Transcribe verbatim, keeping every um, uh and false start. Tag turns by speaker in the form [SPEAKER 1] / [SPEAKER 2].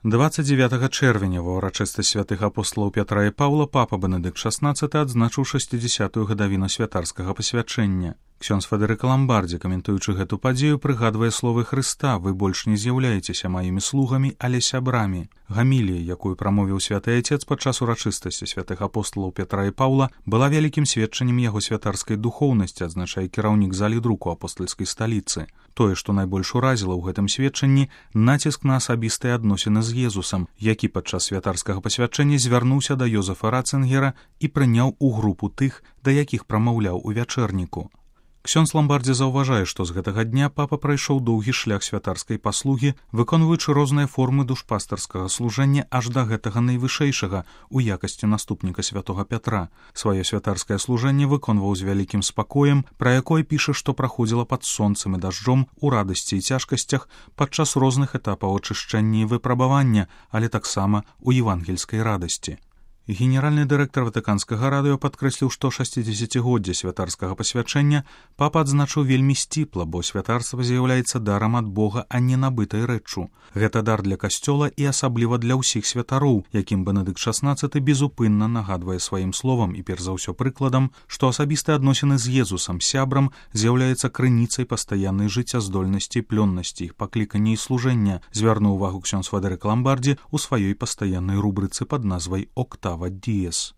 [SPEAKER 1] двадцать девятага чэрвеня ва ўрачыстасць святых апосталаў Пятра і Паўла папа Бенедыкт шаснаццаты адзначыў шэсцідзясятую гадавіну святарскага пасвячэння. Ксёндз Федэрыка Ламбардзі, каментуючы гэту падзею, прыгадвае словы Хрыста: «Вы больш не з'яўляецеся маімі слугамі, але сябрамі». Гамілія, якую прамовіў святы Айцец падчас урачыстасці святых апосталаў Пятра і Паўла, была вялікім сведчаннем яго святарскай духоўнасці, адзначае кіраўнік залі друку апостальскай сталіцы. Тое, што найбольш уразіла ў гэтым сведчанні, націск на асабістыя адносіны з Езусам, які падчас святарскага пасвячэння звярнуўся да Йозефа Рацынгера і прыняў у групу тых, да якіх прамаўляў у вячэрніку. Ксёндз Ламбардзі заўважае, што з гэтага дня папа прайшоў доўгі шлях святарскай паслугі, выконваючы розныя формы душпастарскага служэння аж да гэтага найвышэйшага у якасці наступніка святога Пятра. Сваё святарскае служэнне выконваў з вялікім спакоем, пра якое піша, што праходзіла пад сонцам і дажджом, у радасці і цяжкасцях, падчас розных этапаў ачышчэння і выпрабавання, але таксама у евангельскай радасці. Генеральны дырэктар Ватыканскага радыё падкрэсліў, што шасцідзесяцігоддзе святарскага пасвячэння папа адзначыў вельмі сціпла, бо святарства з'яўляецца дарам ад Бога, а не набытай рэччу. Гэта дар для касцёла і асабліва для ўсіх святароў, якім Бенедыкт шаснаццаты безупынна нагадвае сваім словам і перш за ўсё прыкладам, што асабістыя адносіны з Езусам, сябрам, з'яўляецца крыніцай пастаяннай жыццяздольнасці і плённасці іх паклікання і служэння, звярнуў увагу ксёндз Федэрыка Ламбардзі ў сваёй пастаяннай рубрыцы пад назвай «Октава Діес».